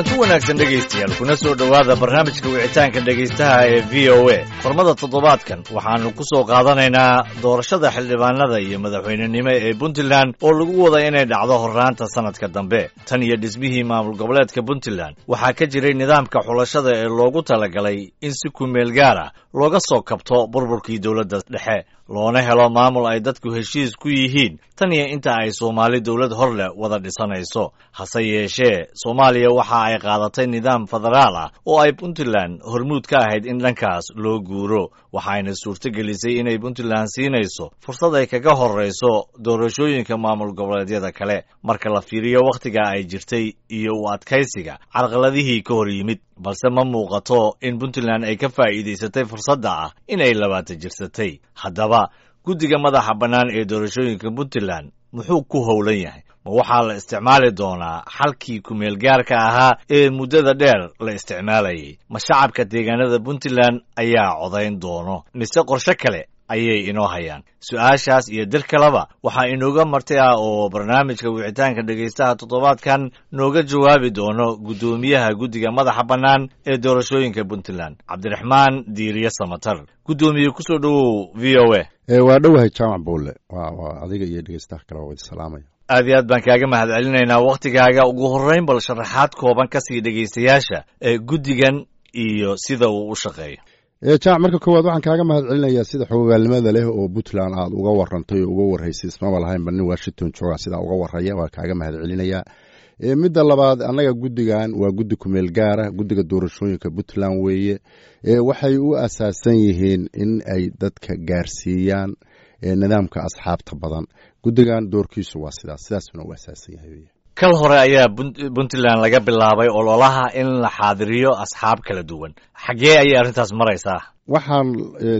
Kulanti wanaagsan, dhegaystayaal, kuna soo dhowaada barnaamijka wicitaanka dhegaystaha ee VOA. Qormada toddobaadkan waxaannu ku soo qaadanaynaa doorashada xildhibaanada iyo madaxweynenimo ee Puntland oo lagu wada inay dhacdo horraanta sannadka dambe. Tan iyo dhismihii maamul goboleedka Puntland waxaa ka jiray nidaamka xulashada ee loogu talagalay in si kumeel gaar ah looga soo kabto burburkii dowladda dhexe, loona helo maamul ay dadku heshiis ku yihiin tan iyo inta ay Soomaali dowlad hor leh wada dhisanayso. Hase yeeshee, Soomaaliya waxa ay qaadatay nidaam federaal ah oo ay Puntland hormuud ka ahayd in dhankaas loo guuro, waxayna suurtogelisay inay Puntland siinayso fursad ay kaga horrayso doorashooyinka maamul goboleedyada kale marka la fiiriyo wakhtiga ay jirtay iyo u adkaysiga carqaladihii ka hor yimid. Balse ma muuqato in Puntland ay ka faa'iidaysatay fursadda ah inay 20 jirsatay. Haddaba, guddiga madaxa bannaan ee doorashooyinka Puntland muxuu ku howlan yahay? Ma waxaa la isticmaali doonaa xalkii kumeelgaarka ahaa ee muddada dheer la isticmaalayay? Ma shacabka deegaanada Puntland ayaa codayn doono, mise qorshe kale ayay inoo hayaan? Su-aashaas iyo dir kaleba waxaa inooga marti ah oo barnaamijka wicitaanka dhegaystaha toddobaadkan nooga jawaabi doono guddoomiyaha guddiga madaxa bannaan ee doorashooyinka Puntland, Cabdiraxmaan Diiriye Samatar. Guddoomiye, kusoo dhowow VOA. Waa dhowahay, Jaamac Buulle. Waa adiga iyo dhegeystaha kale waa wada salaamaya. Aad iyo aad baan kaaga mahad celinaynaa wakhtigaaga. Ugu horreyn, bal sharaxaad kooban ka sii dhegaystayaasha ee guddigan iyo sida uu u shaqeeyo. Jaamac, marka koowaad waxaan kaaga mahad celinayaa sida xogogaalnimada leh oo Puntland aad uga warantay oo uga warraysay. Ismaba lahaynba nin Washington joogaa sidaa uga warraya. Waa kaaga mahad celinayaa. Midda labaad, annaga guddigan waa guddi kumeel gaara, guddiga doorashooyinka Puntland weeye. Waxay u asaasan yihiin in ay dadka gaarsiiyaan nidaamka asxaabta badan. Guddigan doorkiisu waa sidaas, sidaasuna u asaasan yahay. Kal hore ayaa Puntland laga bilaabay ololaha in la xaadiriyo asxaab kala duwan. Xaggee ayay arrintaas maraysaa? Waxaan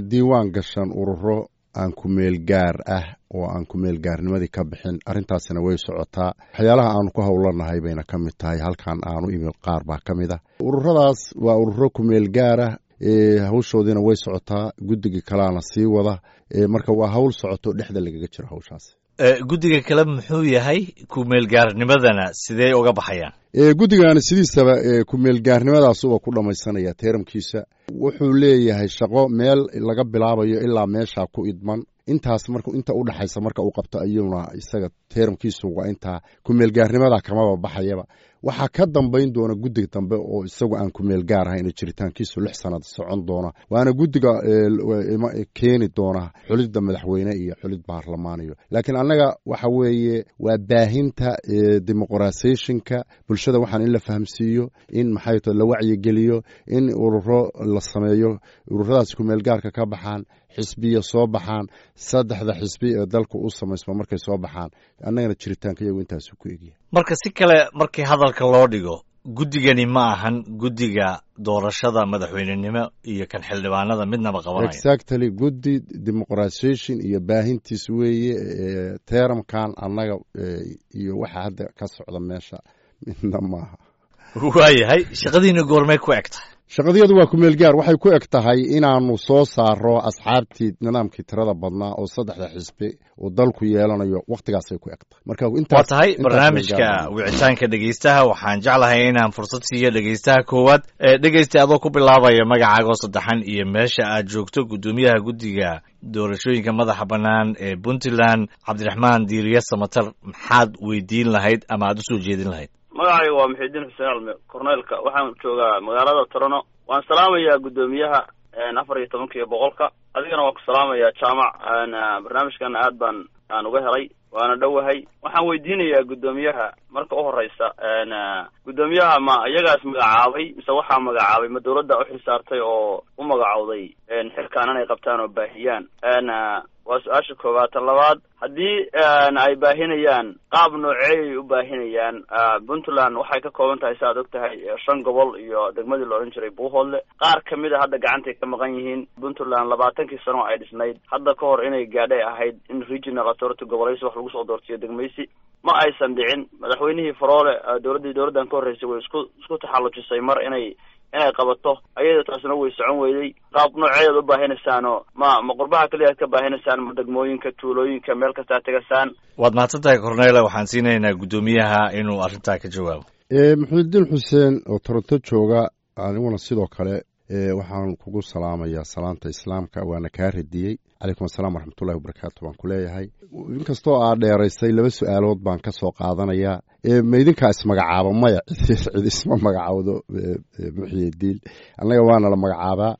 diiwaan gashan ururo aan kumeel gaar ah oo aan kumeel gaarnimadii ka bixin. Arrintaasina way socotaa, waxyaalaha aanu ku howlanahay bayna ka mid tahay. Halkan aanu imid qaar baa ka mid ah ururadaas, waa ururo kumeel gaarah. Hawshoodiina way socotaa, guddiga kalaana sii wada. Marka waa hawl socoto, dhexda lagaga jiro hawshaas. Guddiga kale muxuu yahay? Kumeelgaarnimadana sidee uga baxayaan? Guddigani sidiisaba kumeelgaarnimadaasuba ku dhammaysanaya teeramkiisa. Wuxuu leeyahay shaqo meel laga bilaabayo ilaa meeshaa ku idman. Intaas marka inta u dhaxaysa marka uu qabto ayuuna isaga teeramkiisu waa intaa, kumeelgaarnimada kamaba baxayaba. Waxaa ka dambayn doona guddiga dambe oo isagu aan kumeel gaar ahayn, jiritaankiisu 6 sanad socon doona, waana guddiga keeni doona xulidda madaxweyne iyo xulid baarlamaaniyo. Laakiin annaga waxa weeye waa baahinta demoqratisationka bulshada, waxaan in la fahamsiiyo, in maxay to la wacyigeliyo, in ururo la sameeyo, ururadaas kumeel gaarka ka baxaan, xisbiya soo baxaan, saddexda xisbi ee dalka u samaysma markay soo baxaan, annagana jiritaanka iyagu intaasu ku egyahay. Marka si kale markii hadalka loo dhigo, guddigani ma ahan guddiga doorashada madaxweynenimo iyo kan xildhibaanada midnaba qabanaya. Exactly, guddi demoqratization iyo baahintiis weeye. Teeramkan annaga iyo waxa hadda ka socda meesha midna maaha. Waayahay, shaqadiina goormay ku eg tahay? Shaqadiyadu waa kumeel gaar. Waxay ku eg tahay inaanu soo saaro asxaabtii nidaamkii tirada badnaa oo saddexda xisbi uu dalku yeelanayo. Wakhtigaasay ku eg tahay. Marka waa tahay, barnaamijka wicitaanka dhegeystaha waxaan jeclahay inaan fursad siiyo dhegeystaha koowaad. Dhegeysta, adoo ku bilaabaya magacaagoo saddexan iyo meesha aad joogto, guddoomiyaha guddiga doorashooyinka madaxa bannaan ee Puntland, Cabdiraxmaan Diiriye Samatar, maxaad weydiin lahayd ama aad usoo jeedin lahayd? Magacayga waa Muxiidiin Xuseen Alme Corneelka, waxaan joogaa magaalada Torano. Waan salaamayaa guddoomiyaha 14 iyo boqolka, adigana waan ku salaamayaa, Jaamac. Barnaamijkana aad baan aan uga helay, waana dhowahay. Waxaan weydiinayaa guddoomiyaha marka u horeysa, guddoomiyaha ma iyagaas magacaabay mise waxaa magacaabay, ma dawladda u xilsaartay oo u magacowday xilkaan inay qabtaan oo baahiyaan? Waa su-aasha koowaad. Tan labaad, haddii ay baahinayaan, qaab nooceeyay u baahinayaan? Puntland waxay ka kooban tahay, si aad og tahay, shan gobol iyo degmadii la odhan jiray Buuhoodle. Qaar kamid a hadda gacantay ka maqan yihiin. Puntland 20kii sano ay dhisnayd, hadda ka hor inay gaadhay ahayd in regional authority, gobolaysi wax lagu soo doortiyo, degmaysi, ma aysan dhicin. Madaxweynihii Faroole, dowladdii dowladdan ka horreysay, way isku taxallujisay mar inay qabato ayada, taasna way socon weyday. Qaab nooceedaad u baahinaysaano? Ma qurbaha keliya aad ka baahinaysaan, ma degmooyinka, tuulooyinka, meel kastaa tegasaan? Waad mahadsan tahay, Cornela. Waxaan siinaynaa guddoomiyaha inuu arrintaa ka jawaabo. Muxuudiin Xuseen oo Toronto jooga, aniguna sidoo kale waxaan kugu salaamayaa salaanta Islaamka, waana kaa radiyey. Calaykum asalaam waraxmatullahi wabarakaatu baan ku leeyahay. Inkastoo aad dheeraysay, laba su-aalood baan ka soo qaadanayaa. Ma idinkaa ismagacaabo? Maya, cid isma magacaawdo. Muxyidiin, annaga waana la magacaabaa,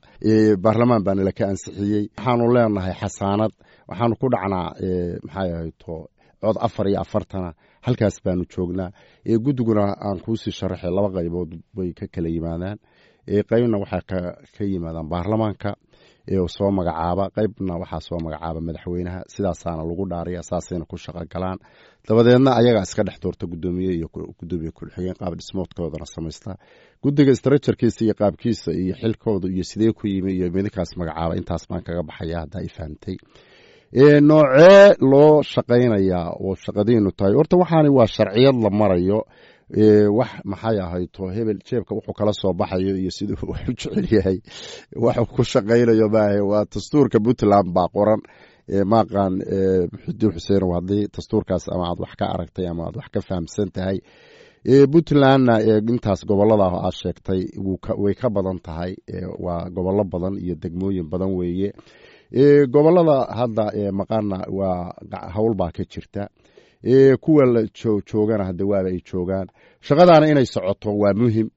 baarlamaan baa nala ka ansixiyey. Waxaanu leenahay xasaanad, waxaanu ku dhacnaa, maxay ahayto, cod 44-na, halkaas baanu joognaa. Guddiguna aan kuusii sharaxay laba qaybood bay ka kala yimaadaan. Qaybna waxaa ka yimaadaan baarlamaanka oo soo magacaaba, qaybna waxaa soo magacaaba madaxweynaha. Sidaasaana lagu dhaariya, saasayna ku shaqo galaan. Dabadeedna ayagaa iska dhex doorta guddoomiye iyo guddoomiye ku-xigeen, qaab dhismoodkoodana samaysta. Guddiga structurekiisa iyo qaabkiisa iyo xilkooda iyo sidee ku yimi iyo midinkaas magacaaba, intaas baan kaga baxaya haddaa i fahamtay. Noocee loo shaqaynayaa oo shaqadiinu tahay? Horta waxaani waa sharciyad la marayo. Wax, maxay ahayto, hebel jeebka wuxuu kala soo baxayo iyo siduu wax u jecel yahay waxuu ku shaqaynayo maahe, waa dastuurka Puntland baa qoran. Maaqaan Muxudiin Xuseen, haddii dastuurkaas ama aad wax ka aragtay ama aad wax ka fahamsan tahay. Puntlandna intaas gobolada aad sheegtay way ka badan tahay, waa gobollo badan iyo degmooyin badan weeye. Gobolada hadda maqana waa hawl baa ka jirta, kuwa la joogana hadda waaba ay joogaan. Shaqadaana inay socoto waa muhim.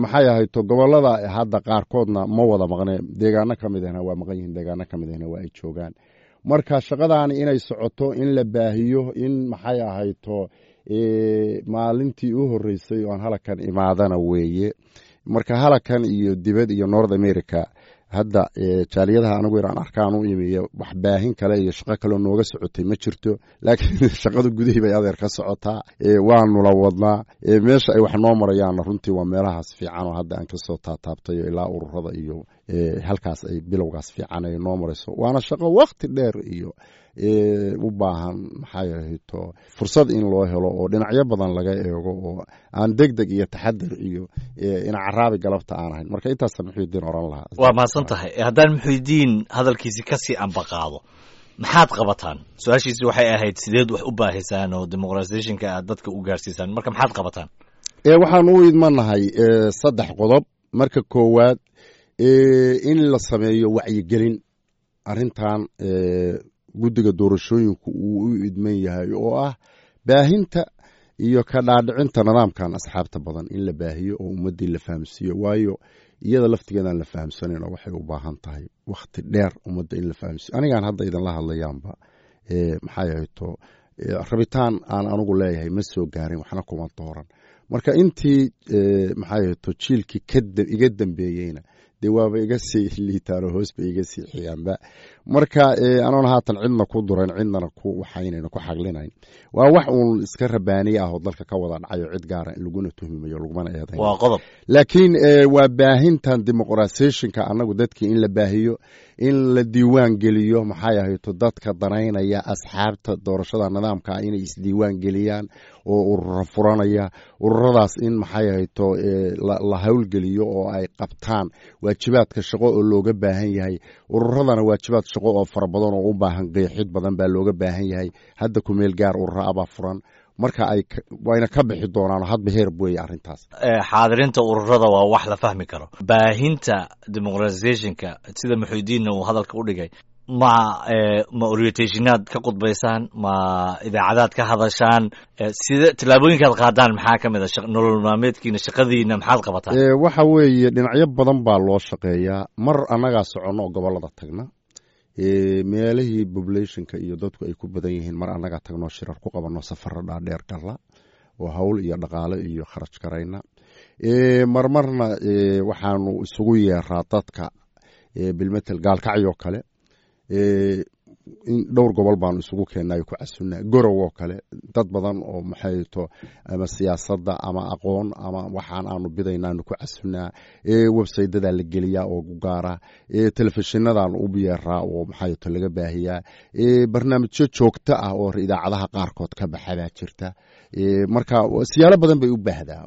Maxay ahayto, gobolada hadda qaarkoodna ma wada maqne, deegaano ka mid ahna waa maqan yihiin, deegaano ka mid ahna waa ay joogaan. Marka shaqadaani inay socoto, in la baahiyo, in, maxay ahayto, maalintii u horeysay oo aan halakan imaadana weeye. Marka halakan iyo dibad iyo North America hadda jaaliyadaha anigu inaan arkaan u imiyo, wax baahin kale iyo shaqo kaleo nooga socotay ma jirto, laakiin shaqada gudihii bay adeer ka socotaa, waanu la wadnaa. Meesha ay wax noo marayaanna runtii waa meelahaas fiican oo hadda aan kasoo taataabtayo, ilaa ururada iyo halkaas ay bilowgaas fiican ay noo marayso. Waana shaqo wakti dheer iyo u baahan, maxay ahayto, fursad in loo helo oo dhinacyo badan laga eego oo aan deg deg iyo taxadir iyo ina caraabi galabta aan ahayn. Marka intaasa Muxuudiin oran lahaa. Waa mahadsan tahay. Haddaan Muxuudiin hadalkiisi kasii ambaqaado, maxaad qabataan? Su-aashiisi waxay ahayd sideed wax u baahisaan oo dimuqratisationka aad dadka u gaarsiisaan. Marka maxaad qabataan? Waxaan u idmanahay saddex qodob. Marka koowaad, in la sameeyo wacyigelin arrintan guddiga doorashooyinku uu u idman yahay, oo ah baahinta iyo ka dhaadhicinta nidaamkan asxaabta badan in la baahiyo oo ummaddii la fahamsiiyo, waayo iyada laftigeedaan la fahamsanayn oo waxay u baahan tahay wakhti dheer ummadda in la fahamsiiyo. Anigaan hadda idinla hadlayaanba, maxay ahayto, rabitaan aan anigu leeyahay ma soo gaarin, waxna kuma dooran. Marka intii, maxay ahayto, jiilkii iga dambeeyeyna dee waaba iga sii liitaanoo hoos bay iga sii xigaanba. Marka anoon haatan cidna ku durayn, cidnana ku waxaynayn, ku xaglinayn, waa wax uun iska rabaaniye ah oo dalka ka wada dhacayo, cid gaara laguna tuhmimayo lagumana eedayn. Waa qodob. Laakiin waa baahintan dimuqratisationka annagu dadkii in la baahiyo, in la diiwaan geliyo, maxay ahayto, dadka danaynaya asxaabta doorashada nidaamka inay isdiiwaan geliyaan oo urura furanaya, ururadaas in, maxay ahayto, la howlgeliyo oo ay qabtaan waajibaadka shaqo oo looga baahan yahay. Ururadana waajibaad shaqo oo fara badan oo u baahan qeexid badan baa looga baahan yahay. Hadda kumeel gaar urura abaa furan, marka ay wayna ka bixi doonaan hadba heer weeye arrintaas. Xaadirinta ururada waa wax la fahmi karo. Baahinta dimuqratisationka, sida Muxuudiinna uu hadalka u dhigay, ma orientationaad ka khudbaysaan, ma idaacadaad ka hadashaan? Sida tillaabooyinkaad qaadaan maxaa ka mid a nolol maalmeedkiina, shaqadiina maxaad qabataan? Waxa weeye dhinacyo badan baa loo shaqeeyaa. Mar annagaa soconno oo gobolada tagna, meelihii populationka iyo dadku ay ku badan yihiin, mar annagaa tagnoo shirar ku qabanno, safaro dhaadheer galla oo hawl iyo dhaqaale iyo kharaj garayna. Marmarna waxaanu isugu yeeraa dadka, bilmetel Gaalkacyoo kale, in dhowr gobol baanu isugu keennay ku casunaa, Gorow oo kale, dad badan oo maxayto ama siyaasadda ama aqoon ama waxaan aanu bidaynaanu ku casunaa. Websaydadaa la geliyaa oo u gaara, telefishinadaanu u yeeraa oo maxayto laga baahiyaa, barnaamijyo joogto ah oo idaacadaha qaarkood ka baxa baa jirta. Marka siyaalo badan bay u baahdaa,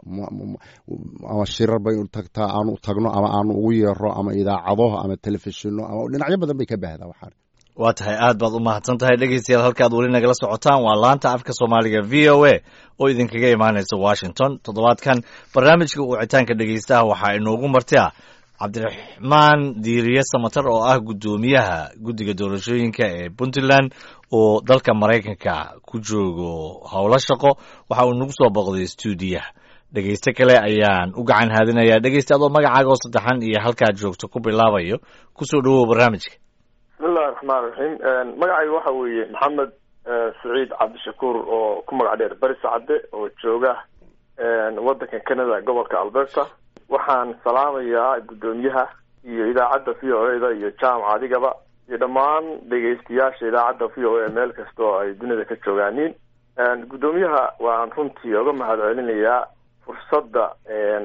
ama shirar bay u tagtaa aanu tagno ama aanu ugu yeero ama idaacado ama telefishino ama dhinacyo badan bay ka baahdaa waxaan. Waa tahay, aad baad u mahadsan tahay. Dhegeystayaal, halkaad weli nagala socotaan waa laanta afka Soomaaliga VOA oo idinkaga imaanaysa Washington. Toddobaadkan barnaamijka wicitaanka dhegeystaha waxaa inoogu marti ah Cabdiraxmaan Diiriye Samatar oo ah guddoomiyaha guddiga doorashooyinka ee Puntland oo dalka Maraykanka ku joogo howlo shaqo. Waxa uu nagu soo boqday stuudiyaha. Dhegeyste kale ayaan u gacan haadinayaa. Dhegeyste, adoo magacaaga oo saddexan iyo halkaad joogto ku bilaabayo, kusoo dhawow barnaamijka. Bismillahi raxmaan raxiim. Magacayga waxa weeye Maxamed Saciid Cabdishakuur oo ku magac dheer Bari Sacade oo jooga waddanka Canada, gobolka Alberta. Waxaan salaamayaa guddoomiyaha iyo idaacadda VOA da iyo jaamaca adigaba iyo dhammaan dhegeystayaasha idaacadda VOA meel kasta oo ay dunida ka joogaaniin. Guddoomiyaha waan runtii oga mahad celinayaa fursadda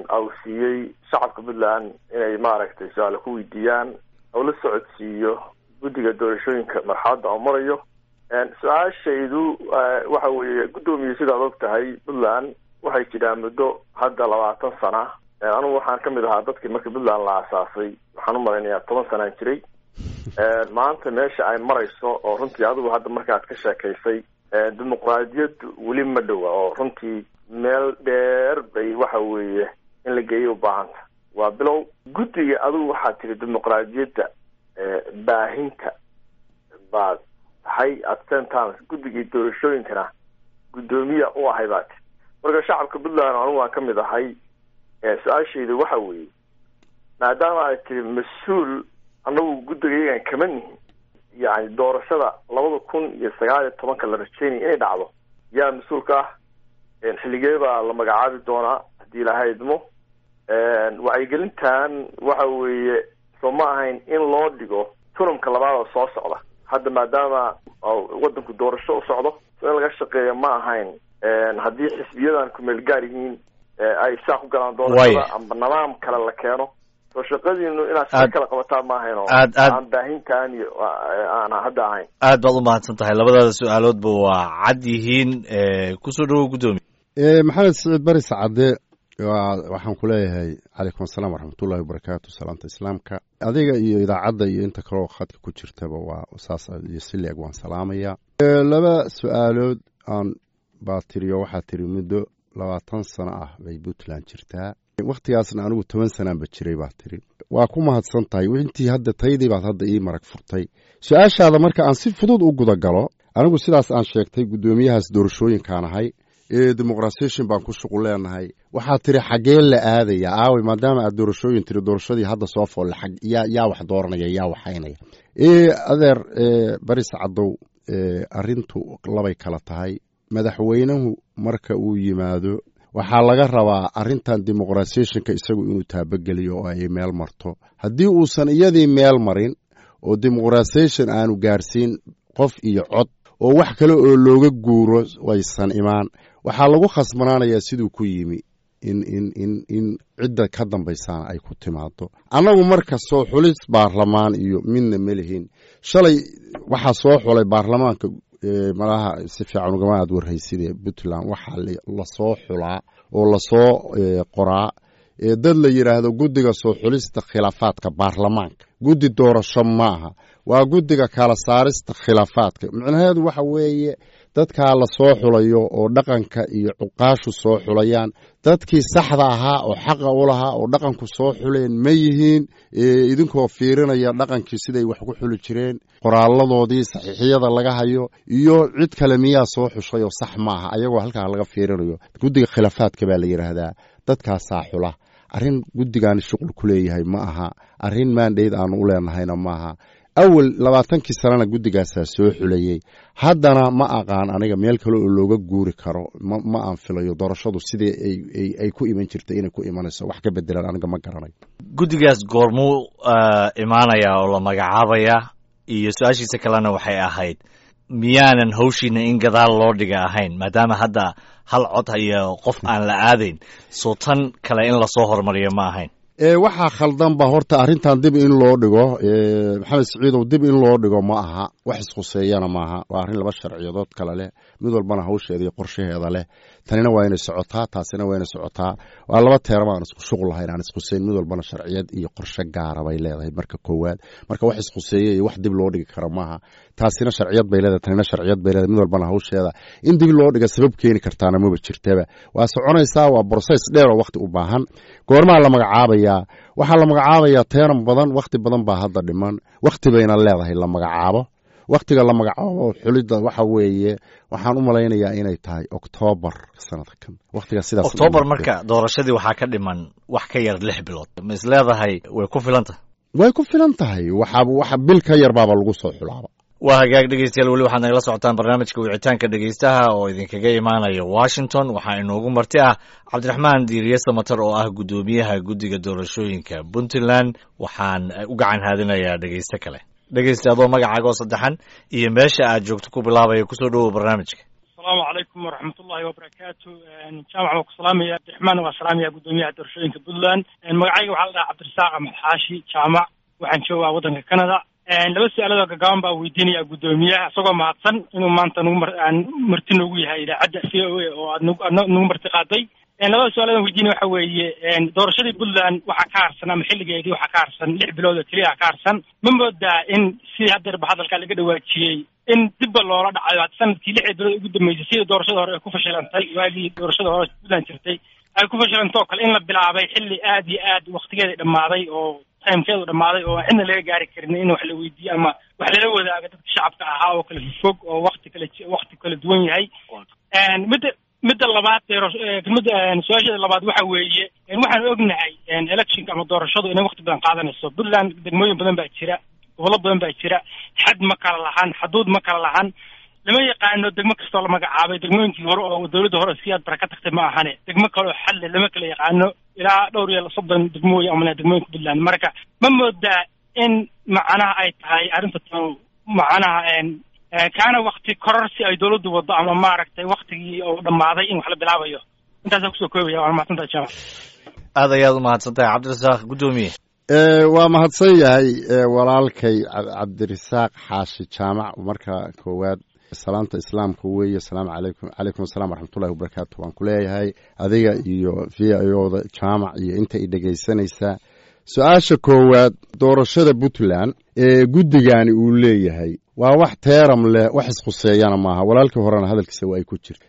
au siiyey shacabka Puntland inay maaragtay su-aalo ku weydiiyaan oo la socodsiiyo guddiga doorashooyinka marxaladda oo marayo. Su-aashaydu waxa weeye, guddoomiye, sidaad og tahay Puntland waxay jiraan muddo hadda 20 sana. Anugu waxaan kamid ahaa dadkii markii Puntland la aasaasay, waxaan umalaynayaa 10 sanaan jiray. Maanta meesha ay marayso oo runtii adigu hadda markaad ka sheekaysay, dimuqraadiyaddu weli ma dhowa oo runtii meel dheer bay waxa weeye in la geeyo ubaahanta. Waa bilow guddiga. Adigu waxaad tiri dimuqraadiyadda baahinta baad tahay, at same times guddigii doorashooyinkana guddoomiya u ahay baa tiri. Marka shacabka Puntland anugu waan kamid ahay. Su-aashaydu waxa weeye, maadaama ay tiri mas-uul annagu guddiga iyagan kama nihin, yani doorashada 2019-ka la rajeynaya inay dhacdo, yaa mas-uulka ah? Xilligee baa la magacaabi doonaa haddii Ilaahay idmo? Wacyigelintan waxa weeye, soo ma ahayn in loo dhigo tunamka labaad oo soo socda hadda, maadaama waddanku doorasho u socdo? So in laga shaqeeyo ma ahayn haddii xisbiyadan kumeel gaar yihiin ay saa ku galaan doorashada amba nidaam kale la keeno? Soo shaqadiinu inaad shaqo kala qabataan ma ahayn oo aan baahintaan iyo aan hadda ahayn? Aad baad u mahadsan tahay. Labadaada su-aaloodba waa cad yihiin. Kusoo dhawow, guddoomiye. Maxamed Siciid Bari Sacade, waxaan ku leeyahay calaykum asalaam waraxmatullahi wabarakaatu. Salaamta islaamka adiga iyo idaacadda iyo inta kaleoo khadka ku jirtaba waa saas iyo si leeg waan salaamayaa. Laba su-aalood aan baa tiriyo. Waxaa tiri muddo 20 sano ah bay Puntland jirtaa, wakhtigaasna anigu 10 sanaanba jiray baa tiri. Waa ku mahadsan tahay. Intii hadda taydii baad hadda ii marag furtay. Su-aashaada marka aan si fudud u guda galo, anigu sidaas aan sheegtay guddoomiyahaas doorashooyinkaan ahay, demoqrasation baan ku shuqul leenahay. Waxaa tiri xaggee la aadaya aawey, maadaama aad doorashooyin tiri, doorashadii hadda soo foolle yaa wax dooranaya, yaa waxaynaya? Adeer Baris Cadow, arrintu labay kala tahay. Madaxweynuhu marka uu yimaado waxaa laga rabaa arrintan demoqratisationka isagu inuu taabageliyo oo ay meel marto. Haddii uusan iyadii meel marin oo demoqratisation aanu gaarsiin qof iyo cod oo wax kale oo looga guuro waysan imaan, waxaa lagu khasbanaanayaa siduu ku yimi in cidda ka dambaysaana ay ku timaado. Annagu marka soo xulis baarlamaan iyo midna ma lihin. Shalay waxaa soo xulay baarlamaanka, malaha si fiican ugama aad warhayside, Puntland waxaa lasoo xulaa oo lasoo qoraa dad la yidhaahdo guddiga soo xulista khilaafaadka baarlamaanka. Guddi doorasho maaha, waa guddiga kala saarista khilaafaadka. Micnaheedu waxa weeye dadkaa lasoo xulayo oo dhaqanka iyo cuqaashu soo xulayaan, dadkii saxda ahaa oo xaqa u lahaa oo dhaqanku soo xuleen ma yihiin? Idinkoo fiirinaya dhaqankii siday wax ku xuli jireen, qoraaladoodii saxiixiyada laga hayo, iyo cid kale miyaa soo xushay oo sax maaha? Ayagoo halkaa laga fiirinayo, guddiga khilaafaadka baa la yidhaahdaa, dadkaasaa xula. Arrin guddigaani shuqul ku leeyahay ma aha, arrin maandhayd aanu u leenahayna maaha. Awal 20-kii sanana guddigaasaa soo xulayey, haddana ma aqaan aniga meel kale oo looga guuri karo. Ma aan filayo doorashadu sidii ay ku iman jirtay inay ku imanayso wax ka bedelaan, aniga ma garanayo. Guddigaas goormuu imaanayaa oo la magacaabayaa? Iyo su-aashiisa kalena waxay ahayd, miyaanan hawshiina in gadaal loo dhiga ahayn, maadaama hadda hal cod iyo qof aan la aadayn? Soo tan kale in lasoo horumariyo ma ahayn? Waxaa khaldanba horta arrintan dib in loo dhigo, Maxamed Siciidow, dib in loo dhigo ma aha, wax iskhuseeyana maaha. Waa arrin laba sharciyadood kale leh, mid walbana hawsheeda iyo qorshaheeda leh. Tanina waa inay socotaa, taasina waa inay socotaa. Waa laba teerama aan isku shuqul lahayn, aan iskhuseyn. Mid walbana sharciyad iyo qorshe gaara bay leedahay. Marka koowaad, marka wax iskhuseeye iyo wax dib loo dhigi karo maaha. Taasina sharciyad bay leedahay, tanina sharciyad bay leedahay. Mid walbana hawsheeda in dib loo dhiga sabab keeni kartaana maba jirtaba. Waa soconaysaa, waa process dheer oo waqti u baahan. Goormaa la magacaabayaa? Waxaa la magacaabayaa teeran badan, wakhti badan baa hadda dhiman. Wakhti bayna leedahay la magacaabo. Wakhtiga la magacaabo xulidda waxa weeye, waxaan u malaynayaa inay tahay Oktoobar sanadkan, wakhtiga sidaas. Oktoobar marka doorashadii waxaa ka dhiman wax ka yar 6 bilood. Ma is leedahay way ku filan tahay? Way ku filan tahay. Waxaa waxa bil ka yar baaba lagu soo xulaaba. Waa hagaag, dhegeystayaal, weli waxaad nagala socotaan barnaamijka wicitaanka dhegeystaha oo idinkaga imaanaya Washington. Waxaa inoogu marti ah Cabdiraxmaan Diiriye Samatar oo ah guddoomiyaha guddiga doorashooyinka Puntland. Waxaan u gacan haadinayaa dhegeyste kale. Dhegeyste, adoo magacaaga oo saddexan iyo meesha aad joogto ku bilaabaya, kusoo dhowow barnaamijka. Asalaamu calaykum waraxmatullahi wabarakaatu. Jaamac, waa ku salaamaya. Cabdiraxmaan waa salaamaya, guddoomiyaha doorashooyinka Puntland. Magacayga waxaa la dhahaa Cabdirasaaq Axmed Xaashi Jaamac, waxaan joogaa waddanka Canada. Laba su-aalood oo gagaaban baa weydiinaya guddoomiyaha, isagoo mahadsan inuu maanta nagu marti noogu yahay idaacadda VOA oo aad nagu marti qaaday. Labada su-aalood aan weydiinaya waxa weeye, doorashadii Puntland waxaa ka harsan, ama xilligeedii waxaa ka harsan 6 bilood oo keliya ka harsan. Ma moodaa in sidii haddeerba hadalkaa laga dhawaajiyey in dibba loola dhacayo hadda sanadkii 6 bilood ugu dambeysay, sidii doorashada hore ay ku fashilantay, waagii doorashada hore Puntland jirtay ay ku fashilantay oo kale, in la bilaabay xilli aad iyo aad waktigeeda dhammaaday oo timekeedu dhammaaday oo aan cidna laga gaari karin in wax la weydiiyo ama wax lala wadaago dadka shacabka ahaa oo kala fog oo wakti kala duwan yahay? Midda labaad, midda su-aasheeda labaad waxa weeye, waxaan ognahay electionka ama doorashadu inay wakti badan qaadanayso. Puntland degmooyin badan baa jira, gobollo badan baa jira, xad ma kala lahan, xaduud ma kala lahan, lama yaqaano degmo kastoo la magacaabay. Degmooyinkii hore oo dowladda hore si aad bara ka tagtay ma ahane, degmo kale oo xalle lama kala yaqaano. Ilaa dhowr iyo 30 degmooyin amana degmooyinka Puntland. Marka ma moodaa in macnaha ay tahay arrinta tan macnaha kaana wakti kororsi ay dowladdu wado, ama maaragtay waktigii oo dhammaaday in wax la bilaabayo? Intaasaan kusoo koobaya. Waana mahadsantahay, Jaamac. Aad ayaad u mahadsan tahay, Cabdirasaaq. Guddoomiye. Waa mahadsan yahay walaalkay Cabdirasaaq Xaashi Jaamac. Marka koowaad, salaamta islaamka weeye, asalaamu calaykum. Calaykum assalam waraxmatullahi wabarakaatu waan ku leeyahay adiga iyo VOA-da, Jaamac, iyo inta i dhegaysanaysaa. Su-aasha koowaad, doorashada Puntland ee guddigani uu leeyahay waa wax teeram leh, wax iskhuseeyana maaha. Walaalkii horena hadalkiisa waa ay ku jirta.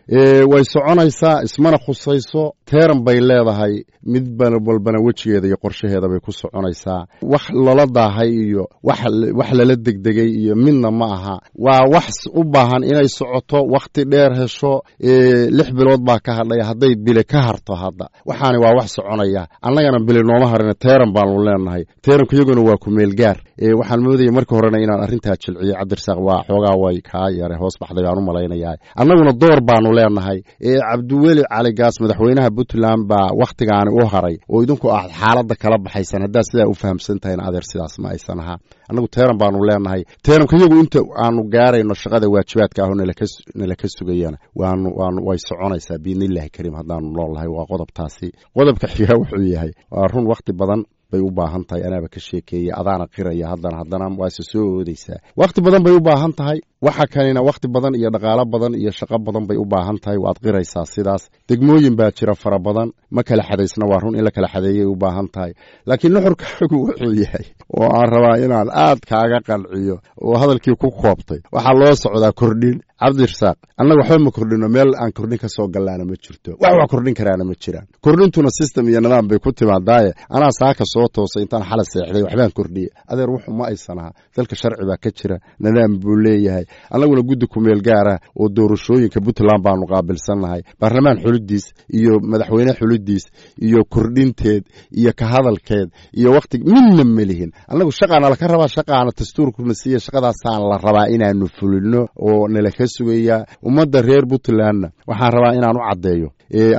Way soconaysaa, ismana khusayso. Teeram bay leedahay, mid walbana wejigeeda iyo qorshaheeda bay ku soconaysaa. Wax lala daahay iyo wax lala degdegay iyo midna ma aha. Waa wax u baahan inay socoto, wakhti dheer hesho. 6 bilood baa ka hadhaya, hadday bile ka harto hadda, waxaani waa wax soconaya. Annagana bile nooma harina, teeram baanu leenahay, teeramka iyaguna waa ku meel gaar. Waxaan moodayay marka horena inaan arrintaa jilciyo, Cabdirasaaq, waa xoogaa way kaa yare hoos baxday baan u malaynayaa. Annaguna door baanu leenahay. Cabdiweli Cali Gaas, madaxweynaha Puntland, baa wakhtigaani u haray oo idinku aad xaaladda kala baxaysan. Haddaad sidaa u fahamsan tahayna, adeer, sidaas ma aysan ahaa. Annagu teeran baanu leenahay. Teeramka iyagu inta aanu gaarayno shaqada waajibaadka ah oo nala ka sugayana waanu way soconaysaa, biidnillahi kariim, haddaanu noolnahay. Waa qodobtaasi. Qodobka xigaa wuxuu yahay, waa run, wakhti badan bay u baahan tahay. Anaaba ka sheekeeyey, adaana qiraya, haddana waase soo oodeysaa. Wakhti badan bay u baahan tahay. Waxa kanina wakhti badan iyo dhaqaalo badan iyo shaqo badan bay u baahan tahay, waad qiraysaa sidaas. Degmooyin baa jira fara badan, ma kala xadaysna. Waa run, in la kala xadeeyay u baahan tahay. Laakiin nuxurkaagu wuxuu yahay oo aan rabaa inaan aad kaaga qanciyo oo hadalkii ku koobtay, waxaa loo socdaa kordhin. Cabdirasaaq, annaga waxba ma kordhino, meel aan kordhin ka soo gallaana ma jirto, wax kordhin karaana ma jiraan. Kordhintuna system iyo nidaam bay ku timaadaaye, anaa saaka soo toosay intaan xala seexday waxbaan kordhiyey, adeer, wuxu ma aysan aha. Dalka sharci baa ka jira, nidaam buu leeyahay. Annaguna guddi kumeel gaara oo doorashooyinka Puntland baanu qaabilsannahay. Baarlamaan xulidiis iyo madaxweyne xulidiis iyo kordhinteed iyo ka hadalkeed iyo wakti midna ma lihin. Annagu shaqaana laka rabaa, shaqaana dastuurkuna siiya, shaqadaasaan la rabaa inaanu fulino oo nala ka sugayaa. Ummadda reer Puntlandna waxaan rabaa inaan u caddeeyo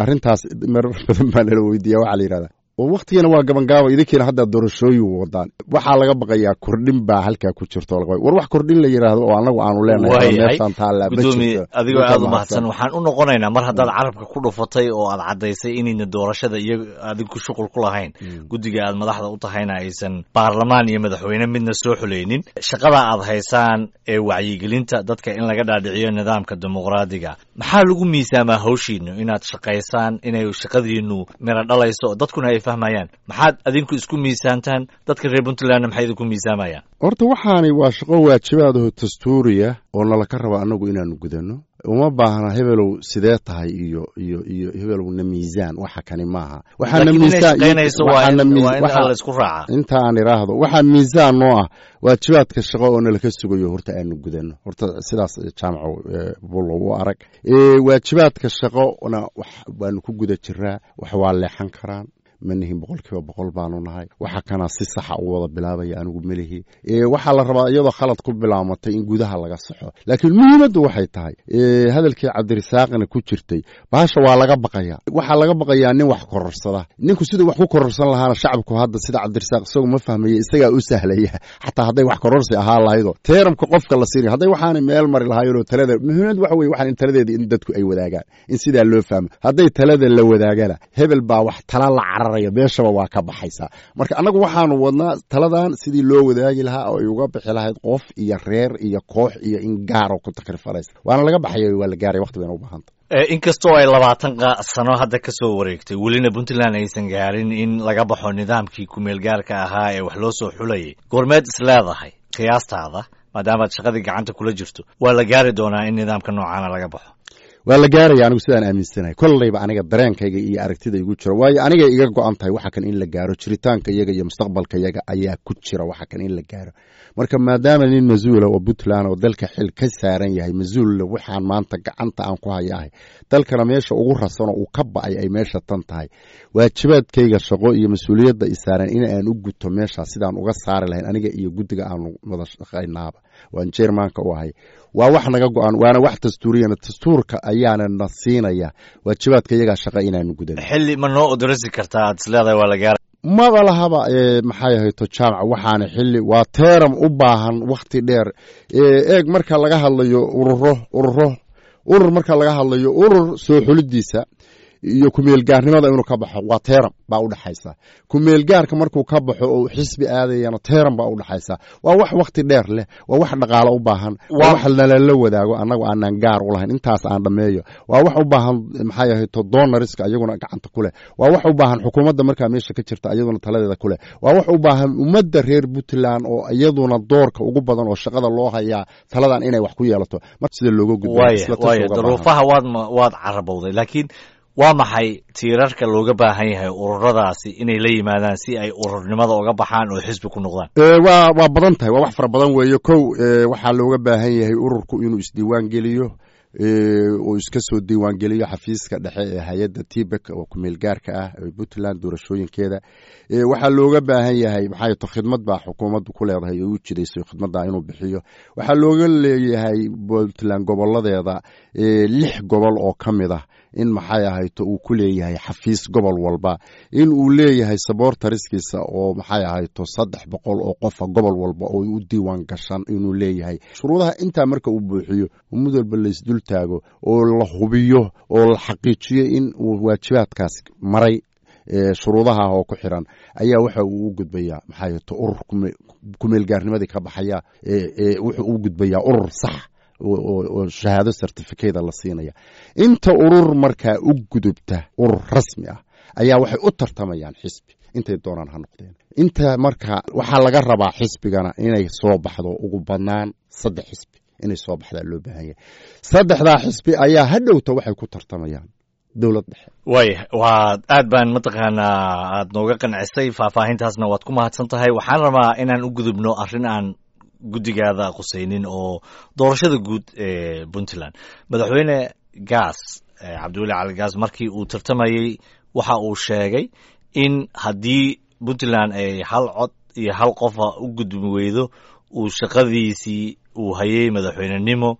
arrintaas. Marar badan baa nala weydiiya, waxaa la yidhahdaa Oo waktigana waa gabangaaba, idinkiina hadda doorashooyin wadaan. Waxaa laga baqayaa kordhin baa halkaa ku jirto. War wax kordhin la yidhaahdo oo annagu aanu leenahay meeshaan taallaa ma Gudoomiye, jirto. Adigoo aada u mahadsan, waxaan u noqonaynaa mar haddaad carabka ku dhufatay oo aad caddaysay inayna doorashada iyo adigu shuqul ku lahayn, guddiga aad madaxda u tahayna aysan baarlamaan iyo madaxweyne midna soo xuleynin, shaqada aad haysaan ee wacyigelinta dadka in laga dhaadhiciyo nidaamka dimuqraadiga, maxaa lagu miisaamaa hawshiinu inaad shaqaysaan, inay shaqadiinu miro dhalayso, dadkuna ay fahmayaan? Maxaad adinku isku miisaantaan? Dadka reer Puntlandna maxay idinku miisaamayaan? Horta waxaani waa shaqo waajibaadaho dastuuriya oo nalaka raba annagu inaanu gudanno. Uma baahna hebelow sidee tahay iyo hebelow na miisaan. Waxa kani maaha. Waxaana miisaan waa in la isku raacaa. Inta aan iraahdo, waxaa miisaan noo ah waajibaadka shaqo oo nalaka sugayo horta aanu gudanno. Horta sidaas, Jaamaco Bulow, u arag waajibaadka shaqona waanu ku guda jiraa. Wax waa leexan karaan, ma nihin 100% baanu nahay. Waxa kana si saxa u wada bilaabaya anigu melihi. Waxaa la rabaa iyadoo khalad ku bilaamatay in gudaha laga saxo, laakiin muhiimaddu waxay tahay, hadalkii Cabdirisaaqna ku jirtay, bahasha waa laga baqayaa. Waxaa laga baqayaa nin wax kororsada. Ninku siduu wax ku kororsan lahaana shacabku hadda sida Cabdirisaaq isagu ma fahmaya, isagaa u sahlaya. Xataa hadday wax kororsi ahaa lahaydo term-ka qofka la siinay, hadday waxaanay meel mari lahaayeenoo talada muhiimad waxa weye waxaan in taladeeda in dadku ay wadaagaan, in sidaa loo fahmo. Hadday talada la wadaagana, hebel baa wax tala la cararaya meeshaba waa ka baxaysaa. Marka annagu waxaanu wadnaa taladan sidii loo wadaagi lahaa oo ay uga bixi lahayd qof iyo reer iyo koox iyo in gaaro ku takrifalaysa. Waana laga baxaya, waa la gaaraya, waqti bayna u baahanta. Inkastoo ay 20 sano hadda ka soo wareegtay, welina Puntland aysan gaarin in laga baxo nidaamkii kumeel gaarka ahaa ee wax loo soo xulayay, goormeed is leedahay qiyaastaada, maadaamaad shaqadii gacanta kula jirto, waa la gaari doonaa in nidaamka noocaana laga baxo? Waa la gaaraya, anigu sidaan aaminsanahay. Kollayba aniga dareenkayga iyo aragtida igu jiro, waayo aniga iga go-an tahay waxa kan in la gaaro. Jiritaanka iyaga iyo mustaqbalka iyaga ayaa ku jira waxa kan in la gaaro. Marka maadaama nin mas-uula oo Puntland oo dalka xil ka saaran yahay, mas-uulla waxaan maanta gacanta aan ku hayaahay, dalkana meesha ugu rasanoo uu ka ba'ay ay meesha tan tahay, waajibaadkayga shaqo iyo mas-uuliyadda i saaran in aan u guto meeshaas sidaan uga saari lahayn, aniga iyo guddiga aanu wada shaqaynaaba waan chairman-ka u ahay, waa wax naga go-an, waana wax dastuuriyana. Dastuurka ayaana na siinaya waajibaadka iyagaa shaqa inaanu gudan. Xilli ma noo odorasi kartaa aad is leedahay waa la gaara? Maba lahaba. Maxay ahayto, Jaamac, waxaana xilli waa term u baahan wakti dheer. Eeg, marka laga hadlayo ururo ururo urur marka laga hadlayo urur soo xulidiisa iyo kumeelgaarnimada inuu ka baxo, waa term baa udhexaysa. Kumeelgaarka markuu ka baxo oo xisbi aadayana, term baa udhexaysa. Waa wax wakti dheer leh, waa wax dhaqaalo u baahan, waa wax nalala wadaago, annagu aanan gaar u lahayn. Intaas aan dhameeyo. Waa wax u baahan, maxay ahayto, donors-ka ayaguna gacanta ku leh. Waa wax u baahan xukuumadda markaa meesha ka jirta iyaduna taladeeda ku leh. Waa wax u baahan ummadda reer Puntland oo iyaduna doorka ugu badan oo shaqada loo hayaa taladan inay wax ku yeelato. Mar sida looga gudbo Waaya, duruufaha waad carabowday, laakiin waa maxay tiirarka looga baahan yahay ururadaasi inay la yimaadaan si ay ururnimada uga baxaan oo xisbi ku noqdaan? Waa badan tahay, waa wax fara badan weeye. Kow, waxaa looga baahan yahay ururku inuu isdiiwaan geliyo oo iska soo diiwaan geliyo xafiiska dhexe ee hay-adda TIPEC oo kumeel gaarka ah ee Puntland doorashooyinkeeda. Waxaa looga baahan yahay, maxay to, khidmad baa xukuumaddu ku leedahay oo u jidayso, khidmadda inuu bixiyo. Waxaa looga leeyahay Puntland goboladeeda lix gobol oo ka mid ah in, maxay ahayto, uu ku leeyahay xafiis gobol walba, in uu leeyahay supporters-kiisa oo, maxay ahayto, 300 oo qofa gobol walba oo u diiwaan gashan inuu leeyahay. Shuruudaha intaa marka uu buuxiyo, mid walba laysdul taago oo la hubiyo oo la xaqiijiyo in uu waajibaadkaas maray, shuruudaha oo ku xiran, ayaa waxa uu u gudbayaa, maxay ahayto, urur kumeelgaarnimadii ka baxaya, wuxuu u gudbayaa urur sax oo shahaado certificate la siinaya. Inta urur markaa u gudubta urur rasmi ah ayaa waxay u tartamayaan xisbi, intay doonaan ha noqdeen. Inta marka waxaa laga rabaa xisbigana inay soo baxdo ugu badnaan saddex xisbi inay soo baxdaa loo baahan yahay. Saddexdaa xisbi ayaa hadhowta waxay ku tartamayaan dowlad dhexe. Waaya, waa aad baan mataqaanaa aad nooga qancisay, faahfaahintaasna waad ku mahadsan tahay. Waxaan rabaa inaan u gudubno arrin aan guddigaada qusaynin oo doorashada guud ee Puntland. Madaxweyne Gaas, Cabdiweli Cali Gaas, markii uu tartamayey waxa uu sheegay in haddii Puntland ay hal cod iyo hal qofa u gudbi weydo, uu shaqadiisii uu hayay madaxweynenimo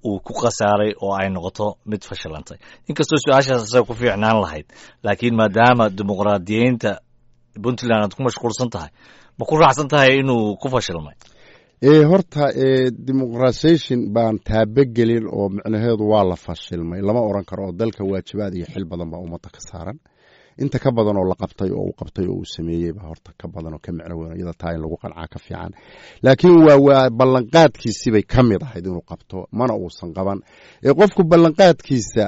uu ku khasaaray oo ay noqoto mid fashilantay. Inkastoo su-aashaas isaga ku fiicnaan lahayd, laakiin maadaama dimuqraadiyeynta Puntland aad ku mashquulsan tahay, ma ku raacsan tahay inuu ku fashilmay? Horta demoqratization baan taabagelin oo micnaheedu waa la fashilmay lama oran karo, oo dalka waajibaad iyo xil badan baa ummadda ka saaran. Inta ka badan oo la qabtay oo uu qabtay oo uu sameeyey baa horta ka badan oo ka micno weyn, iyada taa in lagu qancaa ka fiican. Laakiin waa ballanqaadkiisii bay ka mid ahayd inuu qabto, mana uusan qaban. Qofku ballanqaadkiisa,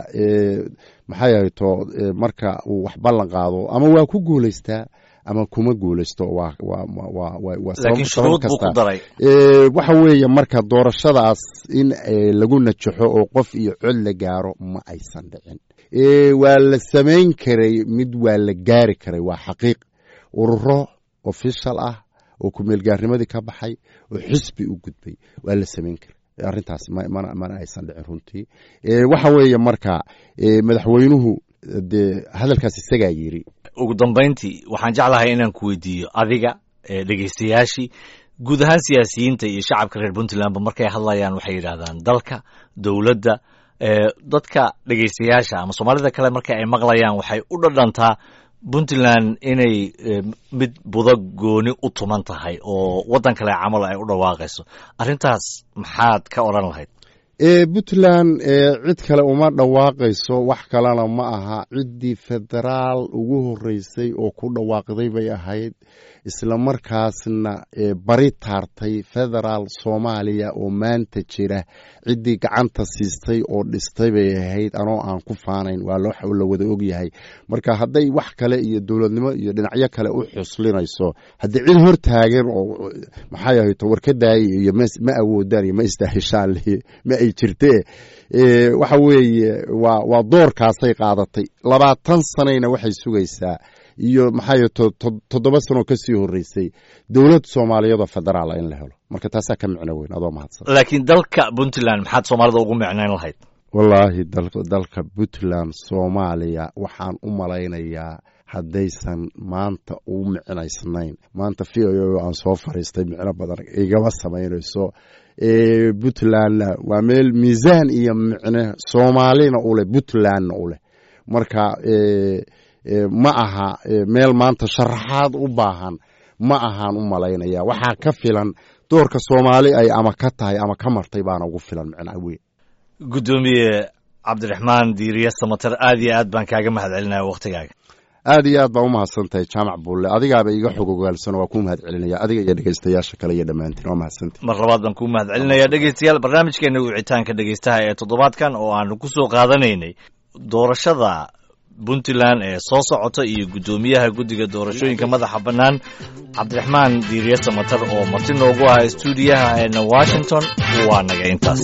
maxay ahayto, marka uu wax ballan qaado ama waa ku guulaystaa ama kuma guulaysto. Laakiin shuruud buu ku daray. Waxa weeye marka doorashadaas in lagu najaxo oo qof iyo cod la gaaro ma aysan dhicin. Waa la samayn karay, mid waa la gaari karay, waa xaqiiq. Ururo official ah oo kumeelgaarnimadii ka baxay oo xisbi u gudbay waa la samayn karay. Arrintaas mana aysan dhicin runtii. Waxa weeye marka madaxweynuhu dee hadalkaas isagaa yiri. Ugu dambayntii waxaan jeclahay inaan ku weydiiyo adiga, dhegeystayaashii, guud ahaan siyaasiyiinta iyo shacabka reer Puntlandba markay hadlayaan waxay yidhaahdaan dalka, dowladda. Dadka dhegeystayaasha ama Soomaalida kale marka ay maqlayaan waxay u dhadhantaa Puntland inay mid budo gooni u tuman tahay oo waddan kale camal ay u dhawaaqayso. Arrintaas maxaad ka odhan lahayd? Puntland cid kale uma dhawaaqayso, wax kalena ma aha. Ciddii federaal ugu horeysay oo ku dhawaaqday bay ahayd, isla markaasna bari taartay federaal Soomaaliya oo maanta jira. Ciddii gacanta siistay oo dhistay bay ahayd, anoo aan ku faanayn, waa loo la wada ogyahay. Marka hadday wax kale iyo dowladnimo iyo dhinacyo kale u xuslinayso, haddii cid hor taagan oo maxay ahayto warkadaay iyo ma awoodaan iyo ma istaahishaan ma ay jirtee. Waxa weeye waa doorkaasay qaadatay. 20 sanayna waxay sugaysaa iyo maxay 7 sanoo kasii horeysay dowlad Soomaaliyeed oo federaala in la helo. Marka taasaa ka micno weyn. Adoo mahadsan. Laakiin dalka Puntland maxaad Soomaalida ugu micnayn lahayd? Wallaahi dalka Puntland Soomaaliya waxaan u malaynayaa haddaysan maanta u micnaysnayn, maanta VOA aan soo fariistay micno badan igama samaynayso. Puntlandna waa meel miisaan iyo micne Soomaalina uleh, Puntlandna u leh. Marka ma aha meel maanta sharaxaad u baahan, ma ahaan u malaynaya. Waxaa ka filan doorka Soomaali ay ama ka tahay ama ka martay baana ugu filan micnaa weyn. Guddoomiye Cabdiraxmaan Diiriye Samater, aad iyo aad baan kaaga mahad celinaya waktigaaga. Aad iyo aad baa umahadsan tahay, Jaamac Buulle. Adigaaba iga xog ogaalsano, waa kuu mahad celinaya adiga iyo dhegeystayaasha kale iyo dhammaantiin, waa mahadsantahy. Mar labaad baan kuu mahad celinaya. Dhegeystayaal, barnaamijkeena wicitaanka dhegeystaha ee toddobaadkan oo aanu ku soo qaadanaynay doorashada Puntland ee soo socota iyo guddoomiyaha guddiga doorashooyinka madaxa bannaan Cabdiraxmaan Diiriye Samatar oo marti noogu ah stuudiyaha eena Washington, waa naga intaas.